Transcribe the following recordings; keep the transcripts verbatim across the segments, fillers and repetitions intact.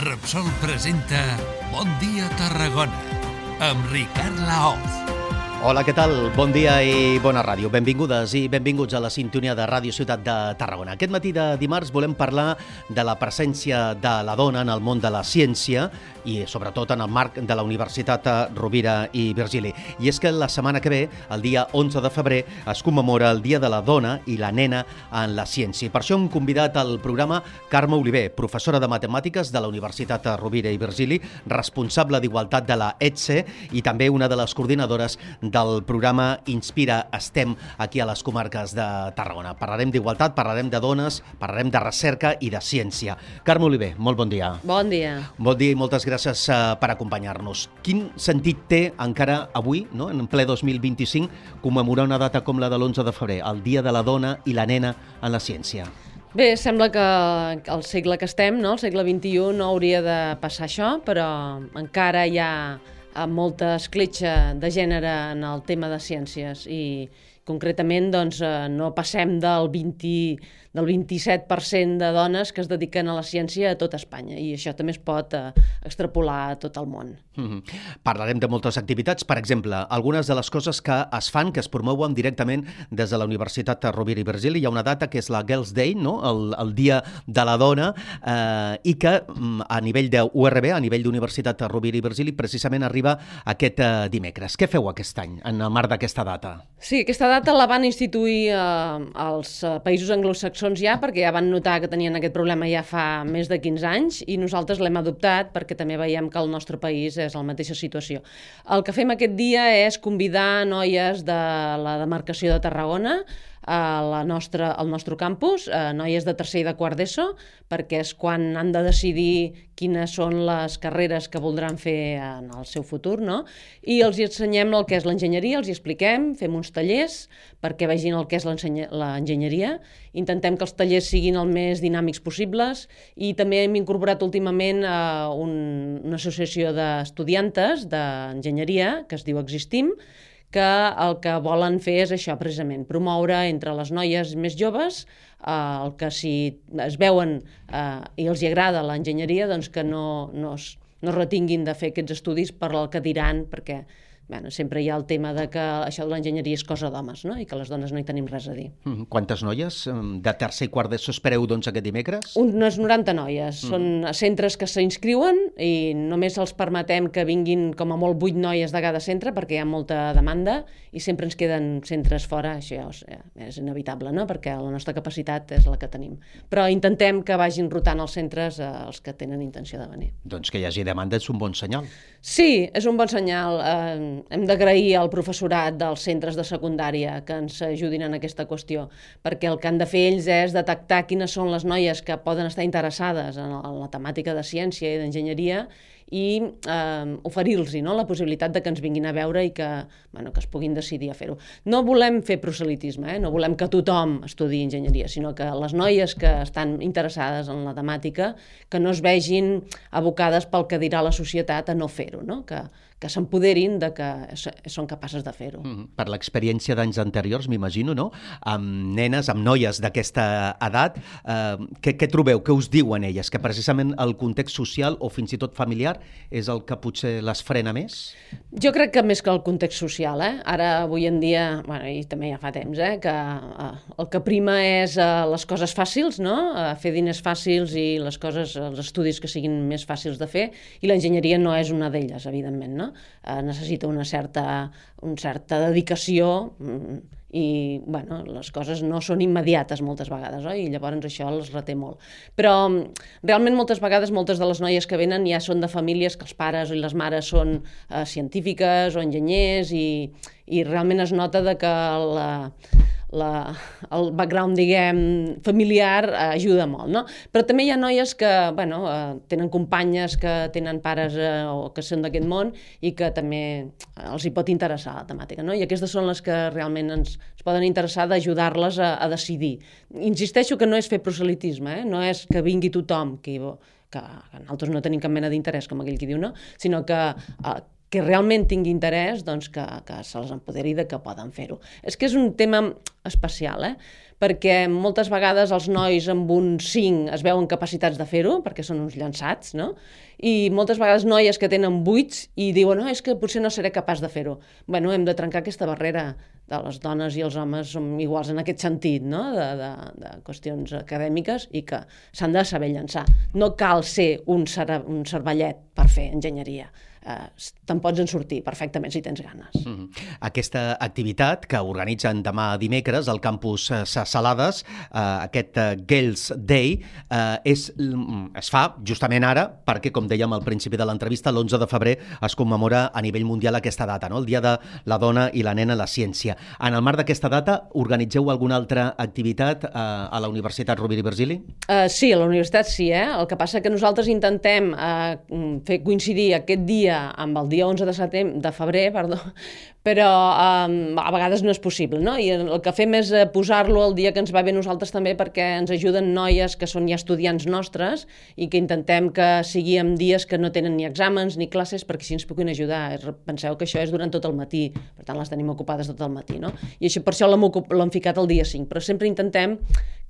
Repsol presenta Bon dia Tarragona amb Ricard Laoz. Hola, què tal? Bon dia i bona ràdio. Benvingudes i benvinguts a la sintonia de Ràdio Ciutat de Tarragona. Aquest matí de dimarts volem parlar de la presència de la dona en el món de la ciència i sobretot en el marc de la Universitat Rovira i Virgili. I és que la setmana que ve, el dia onze de febrer, es commemora el Dia de la Dona i la Nena en la Ciència. Per això hem convidat al programa Carme Oliver, professora de Matemàtiques de la Universitat Rovira i Virgili, responsable d'Igualtat de la E T S E i també una de les coordinadores del programa Inspira STEM aquí a les comarques de Tarragona. Parlarem d'igualtat, parlarem de dones, parlarem de recerca i de ciència. Carme Oliver, molt bon dia. Bon dia. Bon dia i moltes gràcies uh, per acompanyar-nos. Quin sentit té encara avui, no, en ple dos mil vint-i-cinc, commemorar una data com la de l'onze de febrer, el Dia de la Dona i la Nena en la Ciència? Bé, sembla que al segle que estem, no, el segle vint-i-u, no hauria de passar això, però encara hi ha amb molta escletxa de gènere en el tema de ciències i concretament doncs, no passem del vint, del vint-i-set per cent de dones que es dediquen a la ciència a tot Espanya i això també es pot eh, extrapolar a tot el món. Mm-hmm. Parlarem de moltes activitats, per exemple, algunes de les coses que es fan, que es promouen directament des de la Universitat Rovira i Virgili. Hi ha una data que és la Girls' Day, no? el, el Dia de la Dona, eh, i que a nivell de U R B, a nivell d'Universitat Rovira i Virgili, precisament arriba aquest eh, dimecres. Què feu aquest any en el marc d'aquesta data? Sí, aquesta data la van instituir eh, als eh, països anglosaxons ja, perquè ja van notar que tenien aquest problema ja fa més de quinze anys i nosaltres l'hem adoptat perquè també veiem que el nostre país és la mateixa situació. El que fem aquest dia és convidar noies de la demarcació de Tarragona a la nostra, al nostre campus, eh, noies de tercer i de quart d'ESO, perquè és quan han de decidir quines són les carreres que voldran fer en el seu futur, no? I els hi ensenyem el que és l'enginyeria, els hi expliquem, fem uns tallers perquè vegin el que és l'enginyeria, intentem que els tallers siguin el més dinàmics possibles i també hem incorporat últimament eh, un, una associació d'estudiantes d'enginyeria que es diu Existim, que el que volen fer és això precisament, promoure entre les noies més joves eh, el que si es veuen eh, i els hi agrada l'enginyeria, doncs que no, no, es, no es retinguin de fer aquests estudis per el que diran, perquè bueno, sempre hi ha el tema de que això de l'enginyeria és cosa d'homes, no? I que les dones no hi tenim res a dir. Mm, quantes noies de tercer i quart d'ESO espereu doncs aquest dimecres? Unes noranta noies. Mm. Són centres que s'inscriuen i només els permetem que vinguin com a molt vuit noies de cada centre perquè hi ha molta demanda i sempre ens queden centres fora, això és, és inevitable, no? Perquè la nostra capacitat és la que tenim. Però intentem que vagin rotant els centres eh, els que tenen intenció de venir. Doncs que hi hagi demanda és un bon senyal. Sí, és un bon senyal. Eh, hem d'agrair al professorat dels centres de secundària que ens ajudin en aquesta qüestió, perquè el que han de fer ells és detectar quines són les noies que poden estar interessades en la temàtica de ciència i d'enginyeria i eh, oferir-los no, la possibilitat de que ens vinguin a veure i que, bueno, que es puguin decidir a fer-ho. No volem fer proselitisme, eh? No volem que tothom estudi enginyeria, sinó que les noies que estan interessades en la temàtica que no es vegin abocades pel que dirà la societat a no fer-ho, no? que, que s'empoderin de que són capaces de fer-ho. Mm, per l'experiència d'anys anteriors, m'imagino, no? Amb nenes, amb noies d'aquesta edat, eh, què, què trobeu? Què us diuen elles? Que precisament el context social o fins i tot familiar és el que potser les frena més? Jo crec que més que el context social, eh? Ara, avui en dia, bueno, i també ja fa temps, eh? que eh, el que prima és eh, les coses fàcils, no? Eh, fer diners fàcils i les coses, els estudis que siguin més fàcils de fer, i l'enginyeria no és una d'elles, evidentment, no? Eh, necessita una certa, una certa dedicació i bueno, les coses no són immediates moltes vegades, oi? I llavors això els reté molt. Però realment moltes vegades moltes de les noies que venen ja són de famílies que els pares i les mares són eh, científiques o enginyers i, i realment es nota de que la, la, el background, diguem, familiar eh, ajuda molt, no? Però també hi ha noies que, bueno, eh, tenen companyes que tenen pares eh, o que són d'aquest món i que també els hi pot interessar la temàtica, no? I aquestes són les que realment ens, ens poden interessar d'ajudar-les a, a decidir. Insisteixo que no és fer proselitisme, eh? No és que vingui tothom, que, que, que nosaltres no tenim cap mena d'interès, com aquell qui diu, no? Sinó que eh, que realment tingui interès, doncs que, que se les empoderi de que poden fer-ho. És que és un tema especial, eh? Perquè moltes vegades els nois amb un cinc es veuen capacitats de fer-ho, perquè són uns llançats, no? I moltes vegades noies que tenen vuits i diuen, no, és que potser no seré capaç de fer-ho. Bueno, hem de trencar aquesta barrera de les dones i els homes som iguals en aquest sentit, no? De, de, de qüestions acadèmiques i que s'han de saber llançar. No cal ser un, cere un cervellet per fer enginyeria. Uh, te'n pots en sortir perfectament si tens ganes. Mm-hmm. Aquesta activitat que organitzen demà dimecres al campus Ses Salades, uh, aquest uh, Girls' Day, uh, és, es fa justament ara perquè, com dèiem al principi de l'entrevista, l'onze de febrer es commemora a nivell mundial aquesta data, no? El Dia de la Dona i la Nena a la Ciència. En el marc d'aquesta data, organitzeu alguna altra activitat uh, a la Universitat Rovira i Virgili? Uh, sí, a la universitat sí, eh? El que passa que nosaltres intentem uh, fer coincidir aquest dia amb el dia onze de setembre, de febrer, perdó, però um, a vegades no és possible, no? I el que fem és posar-lo el dia que ens va bé nosaltres també perquè ens ajuden noies que són ja estudiants nostres i que intentem que sigui en dies que no tenen ni exàmens ni classes perquè així ens puguin ajudar. Penseu que això és durant tot el matí, per tant les tenim ocupades tot el matí, no? I això per això l'hem ficat el dia cinc, però sempre intentem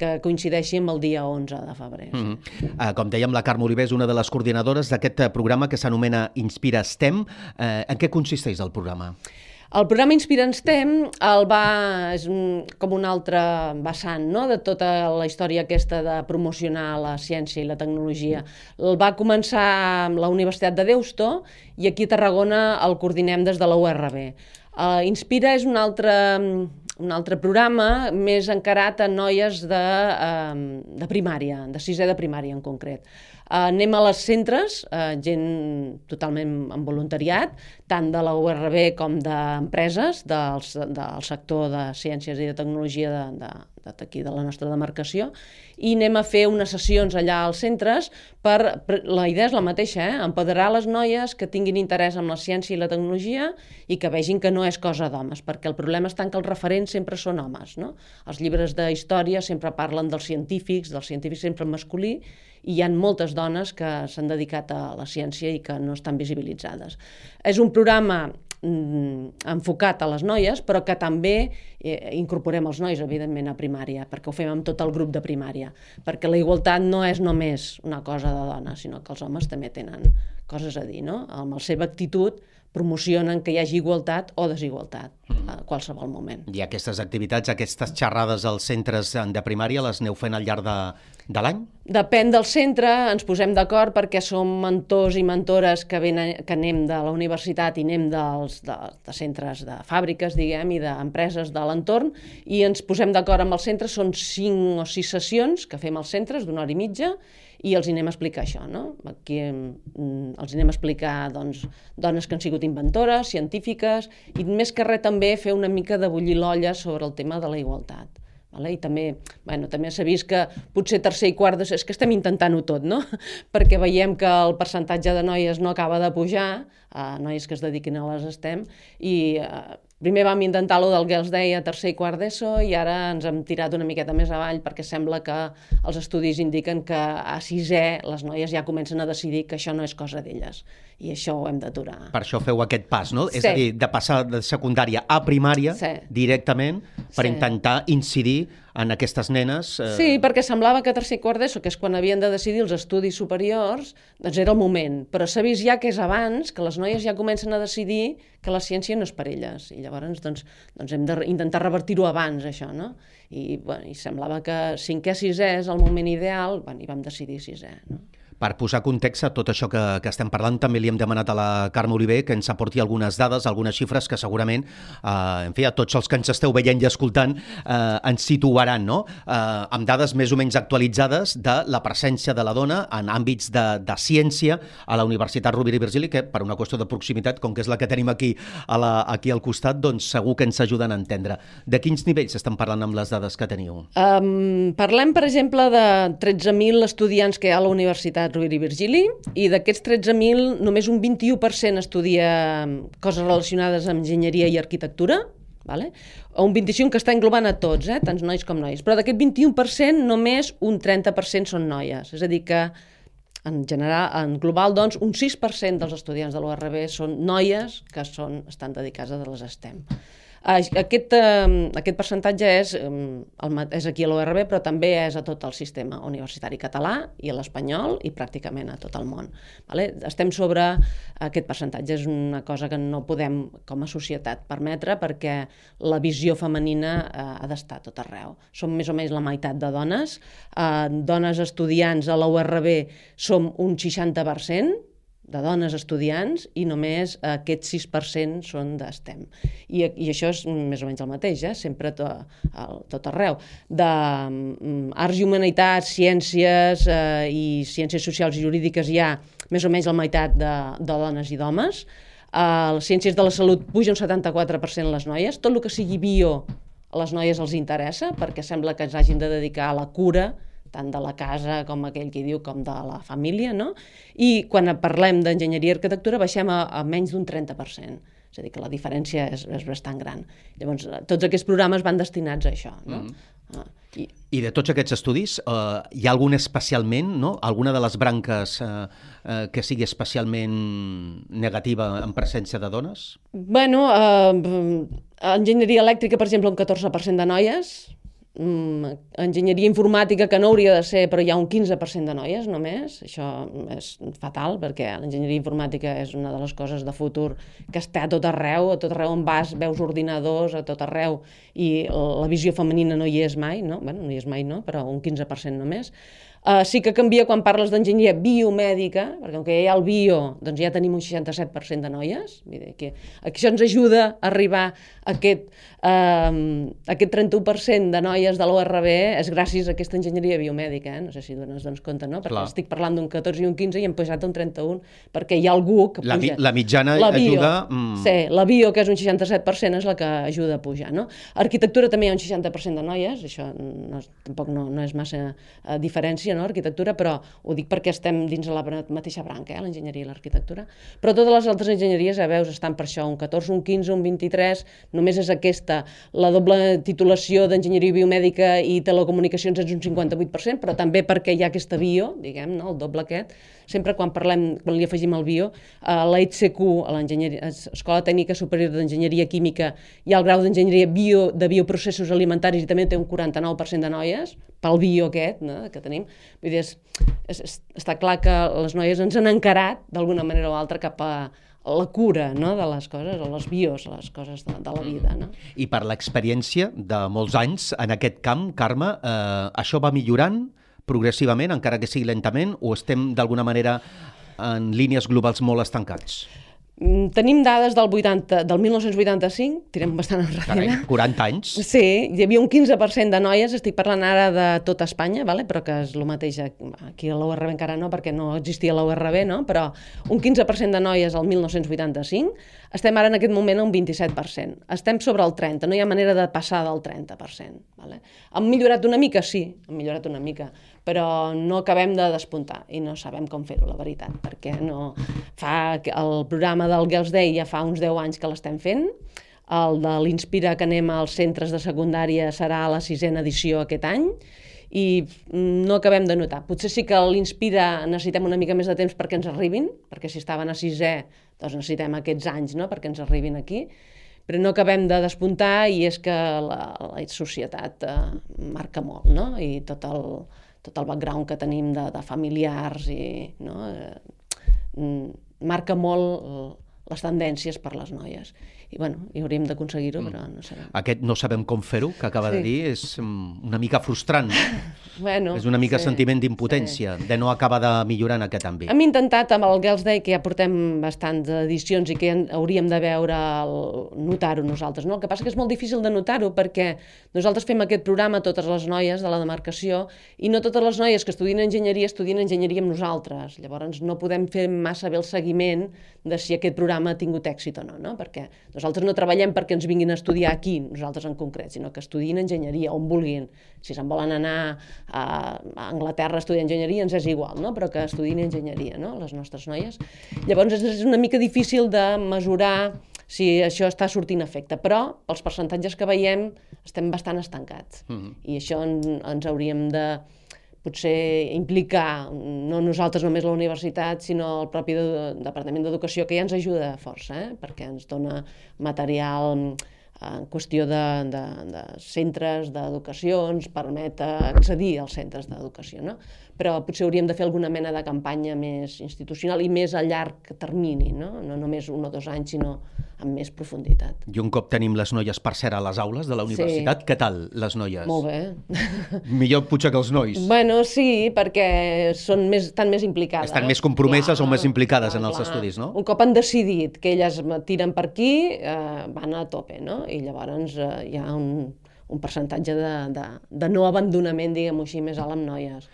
que coincideixi amb el dia onze de febrer. Sí. Mm-hmm. uh, com dèiem, la Carme Oliver és una de les coordinadores d'aquest programa que s'anomena Inspira STEM. Uh, en què consisteix el programa? El programa Inspira STEM el va, és un, com un altre vessant, no?, de tota la història aquesta de promocionar la ciència i la tecnologia. El va començar amb la Universitat de Deusto i aquí a Tarragona el coordinem des de la U R B. Uh, Inspira és un altre, un altre programa més encarat a noies de, uh, de primària, de sisè de primària en concret. Uh, anem a les centres, uh, gent totalment en voluntariat, tant de la U R B com d'empreses del, del sector de ciències i de tecnologia de, de, d'aquí de la nostra demarcació, i anem a fer unes sessions allà als centres per, per la idea és la mateixa, eh? Empoderar les noies que tinguin interès en la ciència i la tecnologia i que vegin que no és cosa d'homes, perquè el problema està en que els referents sempre són homes, no? Els llibres de història sempre parlen dels científics, dels científics sempre en masculí, i hi ha moltes dones que s'han dedicat a la ciència i que no estan visibilitzades. És un programa enfocat a les noies, però que també eh, incorporem els nois, evidentment, a primària, perquè ho fem amb tot el grup de primària, perquè la igualtat no és només una cosa de dones, sinó que els homes també tenen coses a dir, no? Amb la seva actitud promocionen que hi hagi igualtat o desigualtat a qualsevol moment. I aquestes activitats, aquestes xerrades als centres de primària, les aneu fent al llarg de, de l'any? Depèn del centre, ens posem d'acord perquè som mentors i mentores que, venen, que anem de la universitat i anem dels, de, de centres de fàbriques, diguem, i d'empreses de l'entorn, i ens posem d'acord amb els centres, són cinc o sis sessions que fem als centres d'una hora i mitja, i els anem a explicar això, no? Aquí els anem a explicar, doncs, dones que han sigut inventores, científiques, i més que res també fer una mica de bullir l'olla sobre el tema de la igualtat. Vale? I també, bueno, també s'ha vist que potser tercer i quart, és que estem intentant-ho tot, no? Perquè veiem que el percentatge de noies no acaba de pujar, eh, noies que es dediquin a les STEM, i eh, primer vam intentar lo del Girls' Day a tercer i quart d'ESO i ara ens hem tirat una miqueta més avall perquè sembla que els estudis indiquen que a sisè les noies ja comencen a decidir que això no és cosa d'elles i això ho hem d'aturar. Per això feu aquest pas, no? Sí. És a dir, de passar de secundària a primària sí. directament per sí. intentar incidir en aquestes nenes. Eh... Sí, perquè semblava que a tercer i quart d'ESO, que és quan havien de decidir els estudis superiors, doncs era el moment. Però s'ha vist ja que és abans, que les noies ja comencen a decidir que la ciència no és per elles. I llavors doncs, doncs hem d'intentar revertir-ho abans, això, no? I, bueno, i semblava que cinquè, sisè és el moment ideal, bueno, i vam decidir sisè, no? Per posar context a tot això que, que estem parlant, també li hem demanat a la Carme Oliver que ens aporti algunes dades, algunes xifres que segurament, eh, en fi, a tots els que ens esteu veient i escoltant, eh, ens situaran, no? Eh, amb dades més o menys actualitzades de la presència de la dona en àmbits de, de ciència a la Universitat Rovira i Virgili, que per una qüestió de proximitat, com que és la que tenim aquí, a la, aquí al costat, doncs segur que ens ajuden a entendre. De quins nivells estan parlant amb les dades que teniu? Um, parlem, per exemple, de tretze mil estudiants que hi ha a la Universitat Rovira i Virgili, i d'aquests tretze mil només un vint-i-u per cent estudia coses relacionades amb enginyeria i arquitectura, vale? Un vint-i-cinc que està englobant a tots, eh? Tants nois com nois, però d'aquest vint-i-u per cent només un trenta per cent són noies, és a dir que en general, en global, doncs, un sis per cent dels estudiants de l'U R B són noies que són, estan dedicades a les STEM. Aquest, eh, aquest percentatge és, el, és aquí a l'U R B, però també és a tot el sistema universitari català i a l'espanyol i pràcticament a tot el món. Vale? Estem sobre aquest percentatge, és una cosa que no podem com a societat permetre perquè la visió femenina eh, ha d'estar a tot arreu. Som més o menys la meitat de dones, eh, dones estudiants a l'U R B som un seixanta per cent, de dones estudiants i només aquest sis per cent són d'STEM. I, i això és més o menys el mateix, eh? Sempre to, el, tot arreu. D'arts i humanitats, ciències eh, i ciències socials i jurídiques hi ha més o menys la meitat de, de dones i d'homes. A les ciències de la salut puja un setanta-quatre per cent les noies. Tot el que sigui bio a les noies els interessa perquè sembla que ens hagin de dedicar a la cura tant de la casa com aquell que diu com de la família, no? I quan parlem d'enginyeria i arquitectura baixem a, a menys d'un trenta per cent. És a dir, que la diferència és, és bastant gran. Llavors, tots aquests programes van destinats a això, no? Mm. Ah, i... I de tots aquests estudis, eh, hi ha algun especialment, no? Alguna de les branques eh, eh, que sigui especialment negativa en presència de dones? Bueno, eh, enginyeria elèctrica, per exemple, un catorze per cent de noies. Mm, enginyeria informàtica, que no hauria de ser, però hi ha un quinze per cent de noies només. Això és fatal, perquè l'enginyeria informàtica és una de les coses de futur que està a tot arreu, a tot arreu on vas, veus ordinadors, a tot arreu, i la visió femenina no hi és mai, no? Bueno, no hi és mai, no? Però un quinze per cent només. Uh, sí que canvia quan parles d'enginyeria biomèdica, perquè com que hi ha el bio, doncs ja tenim un seixanta-set per cent de noies. Vull dir que això ens ajuda a arribar a aquest, uh, aquest trenta-u per cent de noies de l'U R B, és gràcies a aquesta enginyeria biomèdica, eh? No sé si dones doncs, compte, no? Perquè Clar. estic parlant d'un catorze i un quinze i hem posat un trenta-u, perquè hi ha algú que la, puja. La mitjana la bio, ajuda... Mm. Sí, la bio, que és un seixanta-set per cent, és la que ajuda a pujar, no? Arquitectura també hi ha un seixanta per cent de noies, això no, tampoc no, no és massa uh, diferència, no? Arquitectura, però ho dic perquè estem dins de la mateixa branca, eh? L'enginyeria i l'arquitectura. Però totes les altres enginyeries, ja veus, estan per això, un catorze, un quinze, un vint-i-tres, només és aquesta. La doble titulació d'enginyeria biomèdica i telecomunicacions és un cinquanta-vuit per cent, però també perquè hi ha aquesta bio, diguem, no? El doble aquest. Sempre quan parlem, quan li afegim el bio, a la E T C Q, a l'Escola Tècnica Superior d'Enginyeria Química, hi ha el grau d'enginyeria bio, de bioprocessos alimentaris i també té un quaranta-nou per cent de noies, pel bio aquest, no? Que tenim. Vull dir, és, és, està clar que les noies ens han encarat d'alguna manera o altra cap a la cura, no? De les coses, o les bios, les coses de, de la vida. No? I per l'experiència de molts anys en aquest camp, Carme, eh, això va millorant progressivament, encara que sigui lentament, o estem d'alguna manera en línies globals molt estancats? Tenim dades del, vuitanta, del mil nou-cents vuitanta-cinc, tirem bastant enrere. Carai, quaranta anys. Sí, hi havia un quinze per cent de noies, estic parlant ara de tota Espanya, vale? Però que és el mateix aquí a l'U R B encara no, perquè no existia l'U R B, no? Però un quinze per cent de noies al mil nou-cents vuitanta-cinc, estem ara en aquest moment a un vint-i-set per cent. Estem sobre el trenta, no hi ha manera de passar del trenta per cent. Vale? Han millorat una mica? Sí, han millorat una mica, però no acabem de despuntar i no sabem com fer-ho, la veritat, perquè no fa el programa del Girls' Day ja fa uns deu anys que l'estem fent, el de l'Inspira que anem als centres de secundària serà a la sisena edició aquest any i no acabem de notar. Potser sí que l'Inspira necessitem una mica més de temps perquè ens arribin, perquè si estaven a sisè doncs necessitem aquests anys, no?, perquè ens arribin aquí, però no acabem de despuntar i és que la, la societat eh, marca molt, no?, i tot el, tot el background que tenim de, de familiars i, no?, eh, marca molt les tendències per les noies. I, bueno, i hauríem d'aconseguir-ho, però no sabem. Aquest no sabem com fer-ho, que acaba sí. de dir, és una mica frustrant. Bueno, és una mica sí, sentiment d'impotència, sí. de no acabar de millorar en aquest àmbit. Hem intentat amb el Girls' Day, que ja portem bastants edicions i que hauríem de veure, notar-ho nosaltres. No? El que passa que és molt difícil de notar-ho perquè nosaltres fem aquest programa a totes les noies de la demarcació i no totes les noies que estudien enginyeria estudien enginyeria amb nosaltres. Llavors no podem fer massa bé el seguiment de si aquest programa ha tingut èxit o no, no? Perquè nosaltres no treballem perquè ens vinguin a estudiar aquí, nosaltres en concret, sinó que estudiïn enginyeria, on vulguin. Si se'n volen anar a Anglaterra a estudiar enginyeria, ens és igual, no? Però que estudiïn enginyeria, no?, les nostres noies. Llavors és una mica difícil de mesurar si això està sortint efecte, però pels percentatges que veiem estem bastant estancats. Mm-hmm. I això en, ens hauríem de potser implicar, no nosaltres només la universitat, sinó el propi de, Departament d'Educació, que ja ens ajuda força, eh? Perquè ens dona material en qüestió de, de, de centres d'educació, ens permet accedir als centres d'educació, no? Però potser hauríem de fer alguna mena de campanya més institucional i més a llarg termini, no? No només un o dos anys, sinó amb més profunditat. I un cop tenim les noies per ser a les aules de la universitat, sí. Què tal, les noies? Molt bé. Millor potser que els nois. Bueno, sí, perquè són més, estan més implicades. Estan més compromeses clar, o més implicades clar, en els clar. estudis, no? Un cop han decidit que elles tiren per aquí, eh, van a tope, no? I llavors eh, hi ha un, un percentatge de, de, de no abandonament, diguem-ho així, més alt amb noies.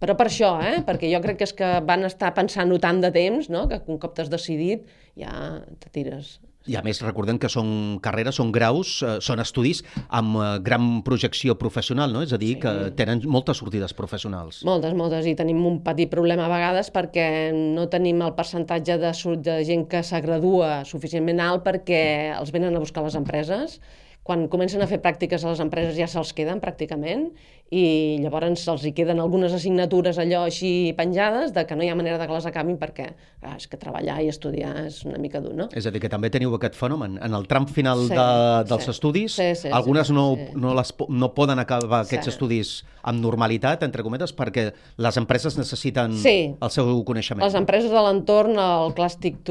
Però per això, eh? Perquè jo crec que és que van estar pensant-ho tant de temps, no? Que un cop t'has decidit ja te tires. I a més recordem que són carreres, són graus, eh, són estudis amb eh, gran projecció professional, no? És a dir, sí. que tenen moltes sortides professionals. Moltes, moltes, i tenim un petit problema a vegades perquè no tenim el percentatge de, de gent que s'agradua suficientment alt perquè els venen a buscar les empreses. Quan comencen a fer pràctiques a les empreses ja se'ls queden pràcticament i llavors se'ls hi queden algunes assignatures allò així penjades de que no hi ha manera de que les acabin perquè ah, és que treballar i estudiar és una mica dur, no? És a dir, que també teniu aquest fenomen. En el tram final sí, de, dels sí. estudis, sí, sí, algunes sí, no, sí. no, les, no poden acabar aquests sí. estudis amb normalitat, entre cometes, perquè les empreses necessiten sí. el seu coneixement. Les empreses de l'entorn, el Class TIC,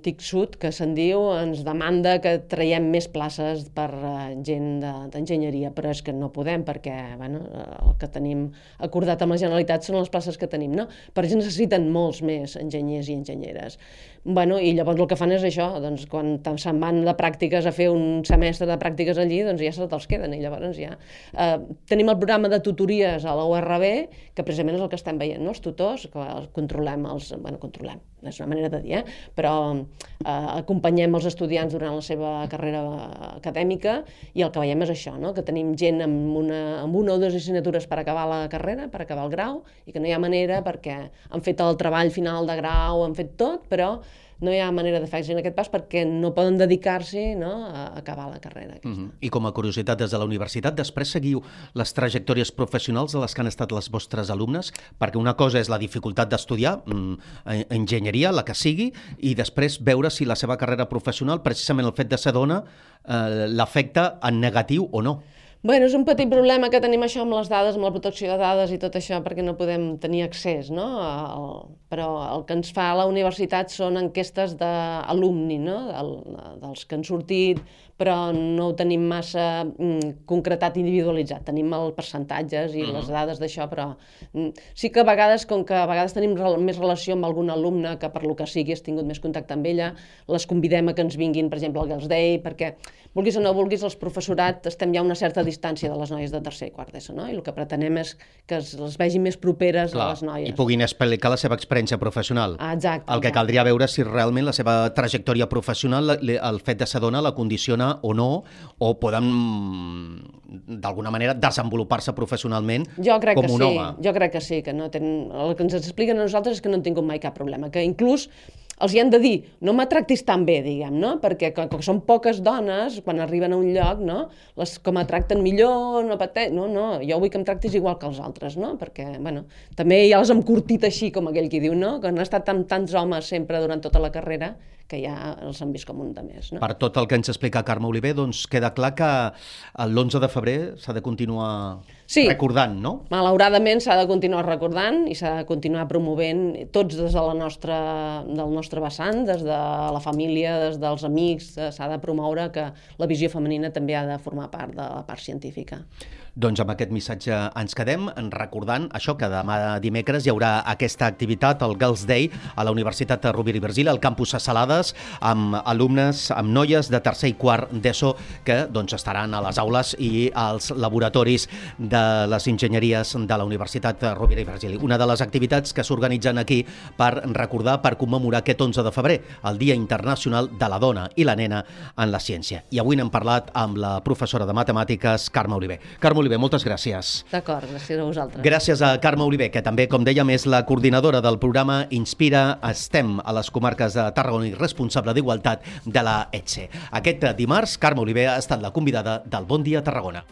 TIC Sud, que se'n diu, ens demanda que traiem més places per gent d'enginyeria, però és que no podem perquè bueno, el que tenim acordat amb la Generalitat són les places que tenim, no? Per això necessiten molts més enginyers i enginyeres. Bueno, i llavors el que fan és això, doncs quan se'n van de pràctiques a fer un semestre de pràctiques allí, doncs ja se te'ls queden i llavors ja... Eh, tenim el programa de tutories a la U R B, que precisament és el que estem veient, no? Els tutors, que els controlem els... Bueno, controlem, és una manera de dir, eh? Però eh, acompanyem els estudiants durant la seva carrera acadèmica i el que veiem és això, no? Que tenim gent amb una, amb una o dues assignatures per acabar la carrera, per acabar el grau, i que no hi ha manera perquè han fet el treball final de grau, han fet tot, però no hi ha manera de fer-se en aquest pas perquè no poden dedicar-s'hi, no, a acabar la carrera. Mm-hmm. I com a curiositat des de la universitat, després seguiu les trajectòries professionals de les que han estat les vostres alumnes, perquè una cosa és la dificultat d'estudiar mm, enginyeria, la que sigui, i després veure si la seva carrera professional, precisament el fet de ser dona, eh, l'afecta en negatiu o no. Bueno, és un petit problema que tenim això amb les dades, amb la protecció de dades i tot això, perquè no podem tenir accés, no? El, però el que ens fa a la universitat són enquestes d'alumni, no? Del, dels que han sortit, però no ho tenim massa mm, concretat, individualitzat. Tenim els percentatges i les dades d'això, però mm, sí que a vegades, com que a vegades tenim rel més relació amb algun alumne que per lo que sigui has tingut més contacte amb ella, les convidem a que ens vinguin, per exemple, al Girls' Day, perquè, vulguis o no vulguis, els professorat estem ja a una certa distància de les noies de tercer i quart d'ESO, no? I el que pretenem és que es, les vegin més properes Clar, a les noies. I puguin explicar la seva experiència professional. Ah, exacte. El que exacte. caldria veure si realment la seva trajectòria professional, el fet de ser dona, la condiciona o no, o poden d'alguna manera desenvolupar-se professionalment jo crec com que un sí. home. Jo crec que sí, que no tenen... el que ens expliquen a nosaltres és que no han tingut mai cap problema, que inclús els hi han de dir, no me tractis tan bé, diguem, no? Perquè com que són poques dones, quan arriben a un lloc, no? Les com a tracten millor, no pateix... No, no, jo vull que em tractis igual que els altres, no? Perquè, bueno, també ja els hem curtit així, com aquell qui diu, no? Que han estat amb tants homes sempre durant tota la carrera que ja els han vist com un de més, no? Per tot el que ens explica Carme Oliver, doncs queda clar que l'onze de febrer s'ha de continuar sí. recordant, no? Malauradament s'ha de continuar recordant i s'ha de continuar promovent tots des de la nostra, del nostre vessant, des de la família, des dels amics, s'ha de promoure que la visió femenina també ha de formar part de la part científica. Doncs amb aquest missatge ens quedem, recordant això, que demà dimecres hi haurà aquesta activitat, el Girls' Day, a la Universitat Rovira i Virgili, al campus a Salades, amb alumnes, amb noies de tercer i quart d'ESO que doncs, estaran a les aules i als laboratoris de les enginyeries de la Universitat Rovira i Virgili. Una de les activitats que s'organitzen aquí per recordar, per commemorar aquest onze de febrer, el Dia Internacional de la Dona i la Nena en la Ciència. I avui n'hem parlat amb la professora de matemàtiques, Carme Oliver. Carme Oliver, moltes gràcies. D'acord, gràcies a vosaltres. Gràcies a Carme Oliver, que també, com dèiem, és la coordinadora del programa Inspira STEM a les comarques de Tarragona i responsable d'Igualtat de la E T S E. Aquest dimarts, Carme Oliver ha estat la convidada del Bon Dia Tarragona.